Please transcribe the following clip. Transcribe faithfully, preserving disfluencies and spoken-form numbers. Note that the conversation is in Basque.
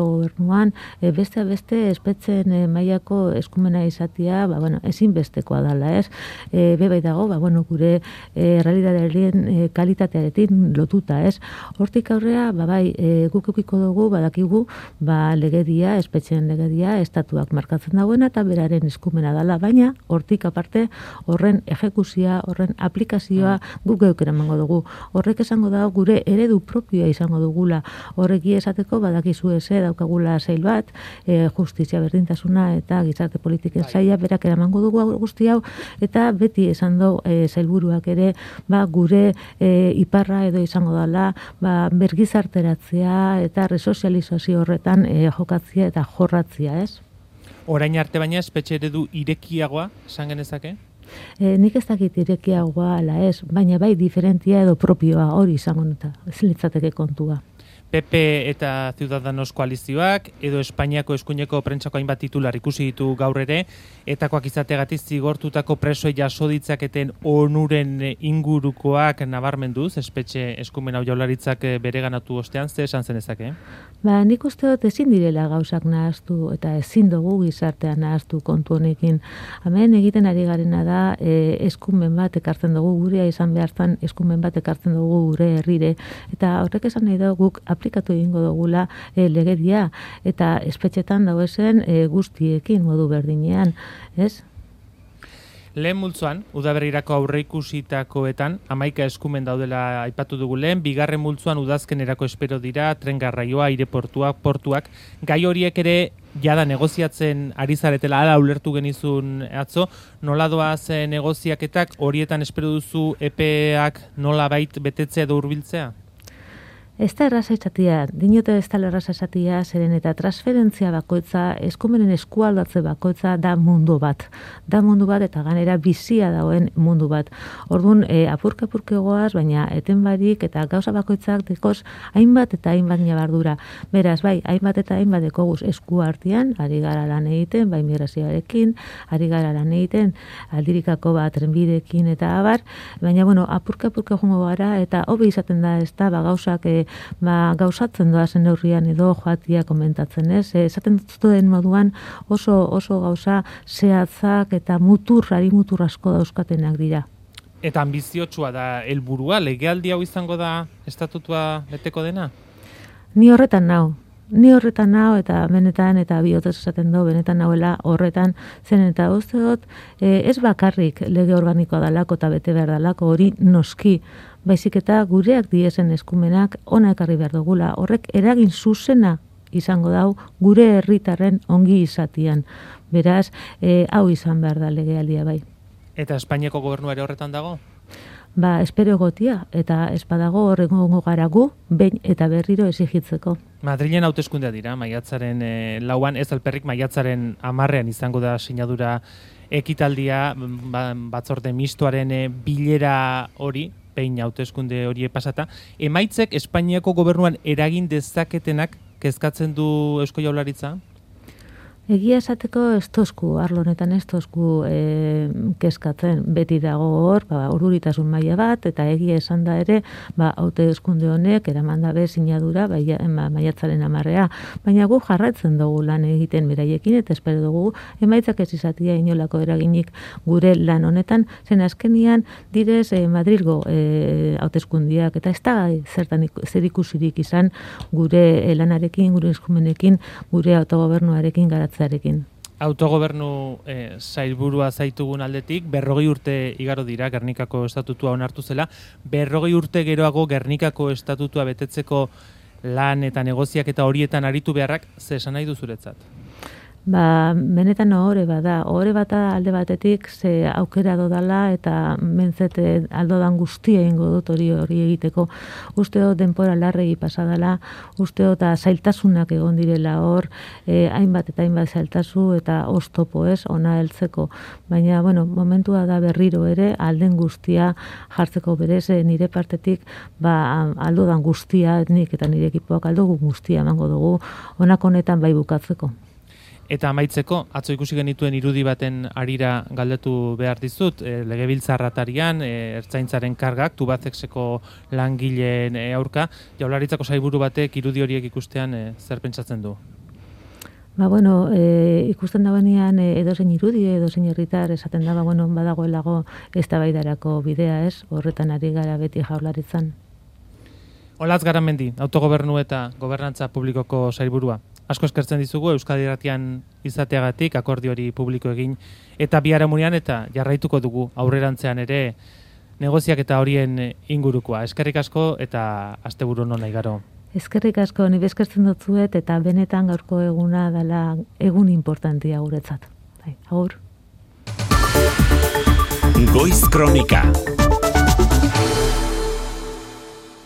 gobernuan e, beste beste espetzen e, mailako eskumena izatea, ba bueno, ezinbestekoa dela, ez? E, bebai dago, ba bueno, gure e, realitatearen e, kalitatearekin lotuta, ez? Hortik aurrea, ba bai, e, guk edukiko dugu badakigu, ba legedia, espetxeen legedia estatuak markatzen dagoena eta beraren eskumena dela, baina hortik aparte horren ejekuzioa, horren aplikazioa guk geuk eramango dugu. Horrek esango da gure eredu propioa izango dugula. Horreki esateko badakizu eze daukagula sail bat, e, justizia berdintasuna eta gizarte politiken saila berak eramango dugu guzti hau, eta beti esan du e, sailburuak ere ba, gure e, iparra edo izango dela ba, bergizarteratzea eta resozializazio horretan e, jokatzea eta jorratzia, ez? Orain arte baina espetxe eredu irekiagoa, esan genezake? E, nik ez dakit irekiagoa ala ez, baina bai diferentia edo propioa hori izango eta ez litzateke kontua. P P eta Ciudadanos koalizioak, edo Espainiako eskuineko prentsako hainbat titular ikusi ditu gaur ere, etakoak izateagatik zigortutako presoei jaso ditzaketen onuren ingurukoak nabarmenduz, espetxe eskumen hau Jaurlaritzak bereganatu ostean, ze esan zenezake? Ba, nik uste dut ezin direla gauzak nahaztu eta ezin dugu gizartean nahaztu kontu honekin. Hemen egiten ari garena da e, eskumen bat ekartzen dugu gurea izan behartan eskumen bat ekartzen dugu gure herrire, eta horrek esan nahi dugu guk aplikatu egingo dugula e, legedia eta espetxetan dauezen e, guztiekin modu berdinean, ez? Lehen multzoan, udaberrirako aurreikusitakoetan, hamaika eskumen daudela aipatu dugu lehen, bigarren multzoan udazkenerako espero dira, tren garraioa, aireportuak, portuak, gai horiek ere jada negoziatzen ari zaretela, hala ulertu genizun atzo, nola doaz negoziaketak, horietan espero duzu epeak nola bait betetzea edo hurbiltzea? Ez da erraza izatea, dinote ez da erraza izatea, zeren eta transferentzia bakoitza, eskumenen eskualdatze bakoitza da mundu bat. Da mundu bat eta ganera bizia dagoen mundu bat. Orduan, e, apurke-apurke goaz, baina eten barik eta gauza bakoitzak dekoz hainbat eta hainbat nabardura. Beraz, bai, hainbat eta hainbat dekoguz esku artean, ari gara lan egiten, bai migrazioarekin, ari gara lan egiten, aldirikako bat trenbidekin eta abar, baina, bueno, apurke-apurke jongo gara eta hobe izaten da ez da, ba, gauzak e, ba, gauzatzen doazen neurrian edo joatia komentatzen, ez? E, esaten duten moduan oso oso gauza zehatzak eta mutur, ari mutur asko dauzkatenak dira. Eta ambiziotsua da helburua, legealdi hau izango da estatutua beteko dena? Ni horretan nau. Ni horretan nao eta benetan eta bihotez esaten du benetan nauela horretan zen eta uste dut e, ez bakarrik lege organikoa dalako eta bete behar dalako hori noski, baizik eta gureak diesen eskumenak ona ekarri behar dugula. Horrek eragin zuzena izango dau gure herritarren ongi izatian. Beraz, e, hau izan behar da legealdia bai. Eta Espainiako gobernu ere horretan dago? Ba, espero egotia, eta espadago horrengo gara gu, behin eta berriro exigitzeko. Madrilen hauteskundea dira, maiatzaren e, lauan, ez alperrik maiatzaren hamarrean izango da sinadura ekitaldia, ba, batzorde mistoaren e, bilera hori, behin hauteskunde hori pasata. Emaitzek Espainiako gobernuan eragin dezaketenak kezkatzen du Eusko Jaurlaritza? Egia esateko ez tozku, arlo honetan ez tozku e, kezkatzen, beti dago hor, ba, ururitasun maila bat, eta egia esan da ere, ba, hauteskunde honek, eraman dabe sinadura, ba, maiatzaren amarrea, baina gu jarraitzen dugu lan egiten beraiekin, eta espero dugu, emaitzak ez izatia inolako eraginik gure lan honetan, zen azkenian direz e, Madrilgo e, hauteskundiak, eta ez da zertan zer ikusirik izan gure e, lanarekin, gure eskumenekin, gure autogobernuarekin garatzen. Autogobernu eh, sailburua zaitugun aldetik, berrogei urte igaro dira Gernikako estatutua onartu zela, berrogei urte geroago Gernikako estatutua betetzeko lan eta negoziak eta horietan aritu beharrak, ze esan nahi duzuretzat? Ba, benetan ohore bada, ohore bata alde batetik ze aukera dodala eta mentzete aldodan guztia egingo dut hori hori egiteko. Uste dut denpora larregi pasadala, uste dut zailtasunak egon direla hor, eh, hainbat eta hainbat zailtasu eta oztopo ez, ona heltzeko. Baina, bueno, momentua da berriro ere, alden guztia jartzeko berez, nire partetik, ba, aldodan guztia, nik eta nire ekipoak aldogu guztia emango dugu, honako honetan bai bukatzeko. Eta amaitzeko, atzo ikusi genituen irudi baten arira galdetu behar dizut, e, legebiltzarratarian, e, ertzaintzaren kargak, Tubacexeko langileen e, aurka, Jaurlaritzako sailburu batek irudi horiek ikustean e, zer pentsatzen du? Ba, bueno, e, ikusten dagoenean e, edozein irudi, edozein herritar esaten da, ba, bueno, badagoelago eztabaidarako bidea, ez? Horretan ari gara beti Jaurlaritzan. Olatz Garamendi, autogobernu eta gobernantza publikoko sailburua. Asko eskertzen dizugu Euskadi Irratian izateagatik, akordio hori publiko egin eta biharamunean eta jarraituko dugu aurrerantzean ere negoziak eta horien ingurukoa. Eskerrik asko eta asteburu on ona igaro. Eskerrik asko, ni eskertzen dutzuet eta benetan gaurko eguna dela egun importantia guretzat. Bai, agur. Goiz Kronika.